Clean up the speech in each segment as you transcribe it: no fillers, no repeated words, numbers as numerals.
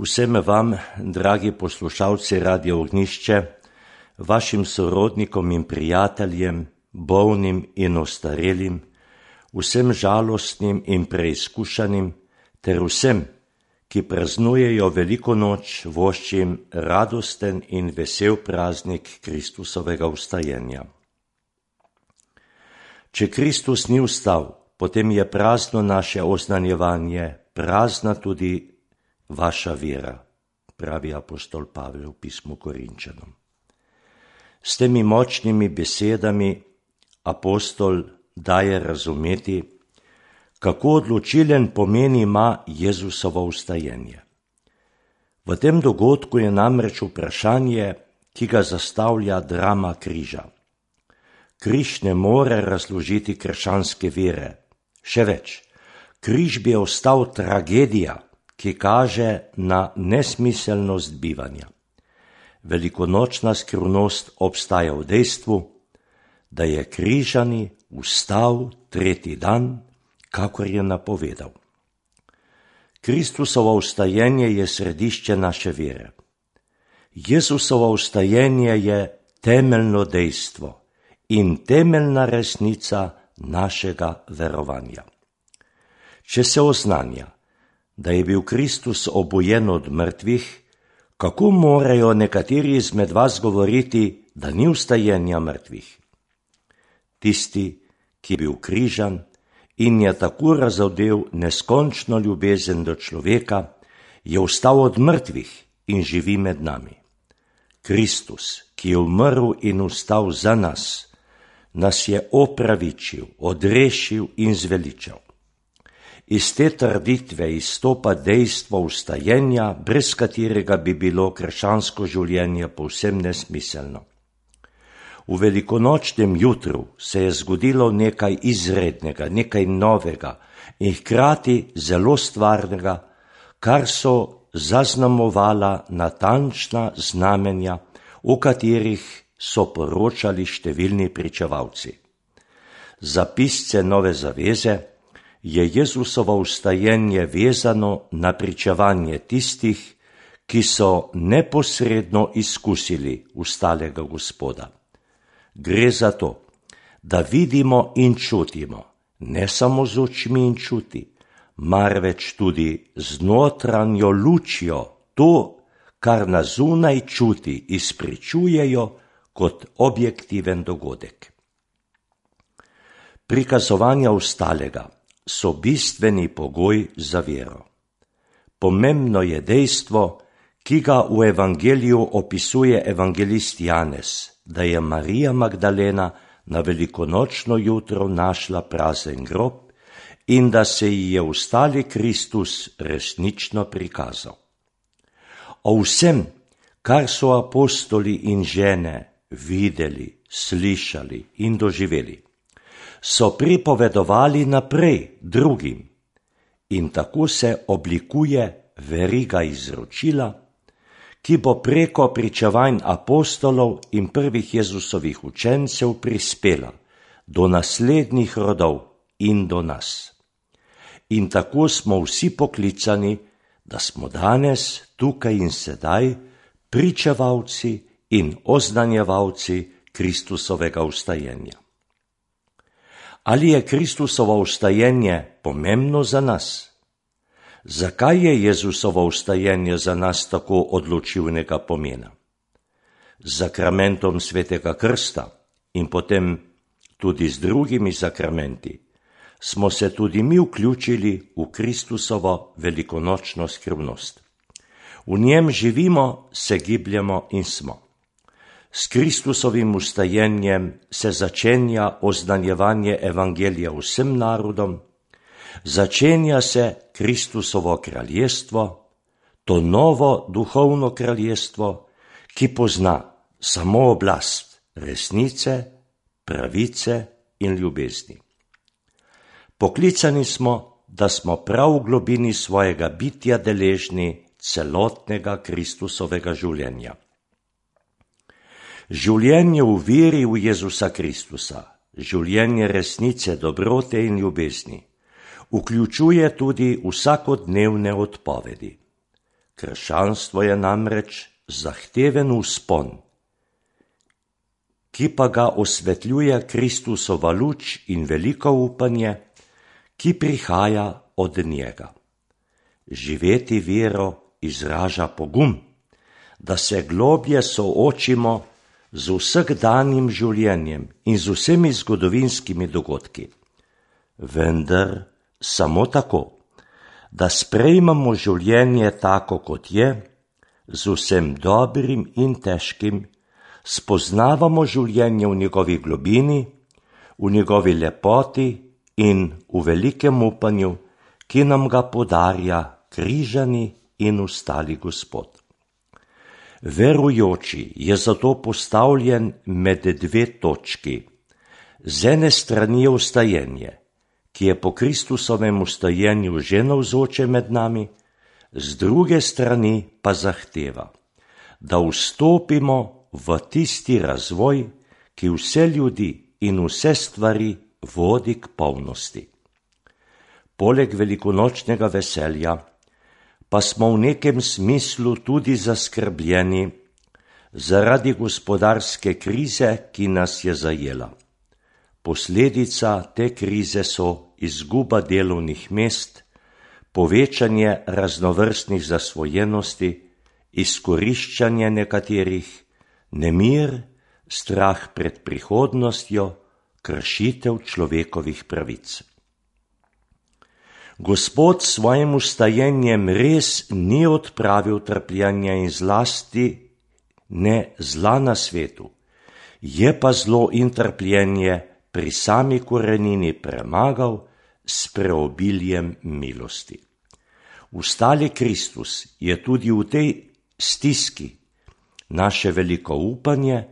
Vsem vam, dragi poslušalci Radia Ognjišče, vašim sorodnikom in prijateljem, bolnim in ostarelim, vsem žalostnim in preizkušanim, ter vsem, ki praznujejo veliko noč, voščim radosten in vesel praznik Kristusovega vstajenja. Če Kristus ni vstal, potem je prazno naše oznanjevanje, prazna tudi vaša vera, pravi apostol Pavel v pismu Korinčanom. S temi močnimi besedami apostol daje razumeti, kako odločilen pomen ima Jezusovo vstajenje. V tem dogodku je namreč vprašanje, ki ga zastavlja drama križa. Križ ne more razložiti krščanske vere. Še več, križ bi ostal tragedija, ki kaže na nesmiselnost bivanja. Velikonočna skrivnost obstaja v dejstvu, da je križani vstal tretji dan, kakor je napovedal. Kristusovo vstajenje je središče naše vere. Jezusovo vstajenje je temeljno dejstvo in temeljna resnica našega verovanja. Če se oznanja, da je bil Kristus obujen od mrtvih, kako morajo nekateri izmed vas govoriti, da ni vstajenja mrtvih? Tisti, ki je bil križan in je tako razodel neskončno ljubezen do človeka, je vstal od mrtvih in živi med nami. Kristus, ki je umrl in vstal za nas, nas je opravičil, odrešil in zveličal. Iz te trditve izstopa dejstvo vstajenja, brez katerega bi bilo krščansko življenje povsem nesmiselno. V velikonočnem jutru se je zgodilo nekaj izrednega, nekaj novega in hkrati zelo stvarnega, kar so zaznamovala natančna znamenja, o katerih so poročali številni pričevalci. Za pisce Nove zaveze je Jezusovo vstajenje vezano na pričevanje tistih, ki so neposredno izkusili vstalega Gospoda. Gre za to, da vidimo in čutimo, ne samo z očmi in čuti, marveč tudi z notranjo lučjo to, kar na zunaj čuti izpričujejo kot objektiven dogodek. Prikazovanja vstalega so bistveni pogoj za vero. Pomembno je dejstvo, ki ga v evangeliju opisuje evangelist Janez, da je Marija Magdalena na velikonočno jutro našla prazen grob in da se ji je vstali Kristus resnično prikazal. O vsem, kar so apostoli in žene videli, slišali in doživeli, so pripovedovali naprej drugim in tako se oblikuje veriga izročila, ki bo preko pričevanj apostolov in prvih Jezusovih učencev prispela do naslednjih rodov in do nas. In tako smo vsi poklicani, da smo danes, tukaj in sedaj, pričevalci in oznanjevalci Kristusovega vstajenja. Ali je Kristusovo vstajenje pomembno za nas? Zakaj je Jezusovo vstajenje za nas tako odločilnega pomena? Z sakramentom svetega krsta in potem tudi z drugimi sakramenti smo se tudi mi vključili v Kristusovo velikonočno skrivnost. V njem živimo, se gibljemo in smo. S Kristusovim vstajenjem se začenja oznanjevanje evangelija vsem narodom, začenja se Kristusovo kraljestvo, to novo duhovno kraljestvo, ki pozna samo oblast resnice, pravice in ljubezni. Poklicani smo, da smo prav v globini svojega bitja deležni celotnega Kristusovega življenja. Življenje v veri v Jezusa Kristusa, življenje resnice, dobrote in ljubezni, vključuje tudi vsakodnevne odpovedi. Krščanstvo je namreč zahteven vzpon, ki pa ga osvetljuje Kristusova luč in veliko upanje, ki prihaja od njega. Živeti vero izraža pogum, da se globlje soočimo z vsakdanjim življenjem in z vsemi zgodovinskimi dogodki. Vendar samo tako, da sprejmemo življenje tako, kot je, z vsem dobrim in težkim, spoznavamo življenje v njegovi globini, v njegovi lepoti in v velikem upanju, ki nam ga podarja križani in ustali Gospod. Verujoči je zato postavljen med dve točki. Z ene strani je vstajenje, ki je po Kristusovem vstajenju že navzoče med nami, z druge strani pa zahteva, da vstopimo v tisti razvoj, ki vse ljudi in vse stvari vodi k polnosti. Poleg velikonočnega veselja pa smo v nekem smislu tudi zaskrbljeni zaradi gospodarske krize, ki nas je zajela. Posledica te krize so izguba delovnih mest, povečanje raznovrstnih zasvojenosti, izkoriščanje nekaterih, nemir, strah pred prihodnostjo, kršitev človekovih pravic. Gospod s svojim vstajenjem res ni odpravil trpljenja in zlasti ne zla na svetu, je pa zlo in trpljenje pri sami korenini premagal s preobiljem milosti. Vstali Kristus je tudi v tej stiski naše veliko upanje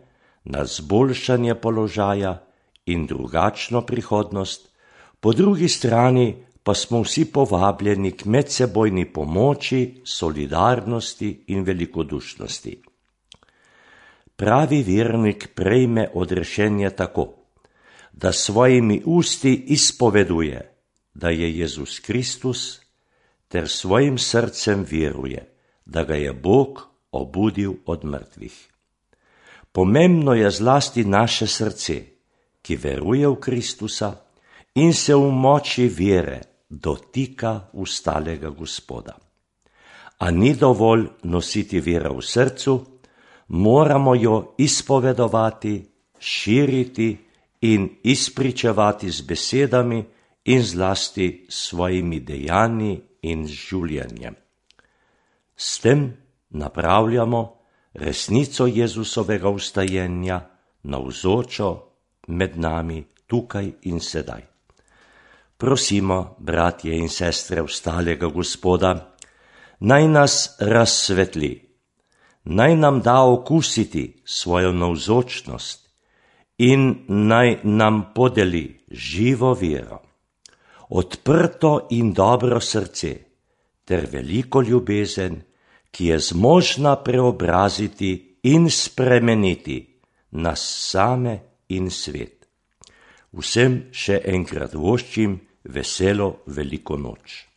na zboljšanje položaja in drugačno prihodnost, po drugi strani pa smo vsi povabljeni k medsebojni pomoči, solidarnosti in velikodušnosti. Pravi vernik prejme odrešenje tako, da svojimi usti izpoveduje, da je Jezus Kristus, ter svojim srcem veruje, da ga je Bog obudil od mrtvih. Pomembno je zlasti naše srce, ki veruje v Kristusa in se v moči vere dotika vstalega Gospoda. A ni dovolj nositi vero v srcu, moramo jo izpovedovati, širiti in izpričevati z besedami in zlasti svojimi dejanji in življenjem. S tem napravljamo resnico Jezusovega vstajenja navzočo med nami tukaj in sedaj. Prosimo, bratje in sestre vstalega Gospoda, naj nas razsvetli, naj nam da okusiti svojo navzočnost in naj nam podeli živo vero, odprto in dobro srce ter veliko ljubezen, ki je zmožna preobraziti in spremeniti nas same in svet. Vsem še enkrat voščim veselo veliko noč.